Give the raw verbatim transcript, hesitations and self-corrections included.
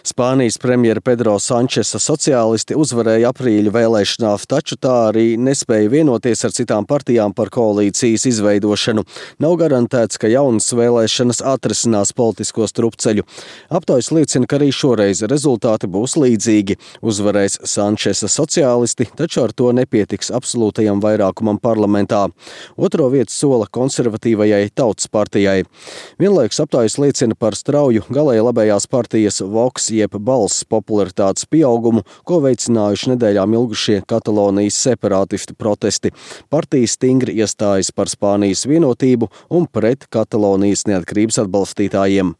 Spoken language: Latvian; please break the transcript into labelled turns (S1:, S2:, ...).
S1: Spānijas premjera Pedro Sančesa sociālisti uzvarēja aprīļa vēlēšanās, taču tā arī nespēja vienoties ar citām partijām par koalīcijas izveidošanu. Nav garantēts, ka jaunas vēlēšanas atrisinās politisko strupceļu. Aptaujas liecina, ka arī šoreiz rezultāti būs līdzīgi. Uzvarēs Sančesa sociālisti, taču ar to nepietiks absolūtajam vairākumam parlamentā. Otro vietu sola konservatīvajai Tautas partijai. Vienlaikus aptaujas liecina par strauju galēji labējās partijas Vox jeb Balss popularitātes pieaugumu, ko veicinājuši nedēļām ilgušie Katalonijas separātistu protesti. Partija stingri iestājas par Spānijas vienotību un pret Katalonijas neatkarības atbalstītājiem.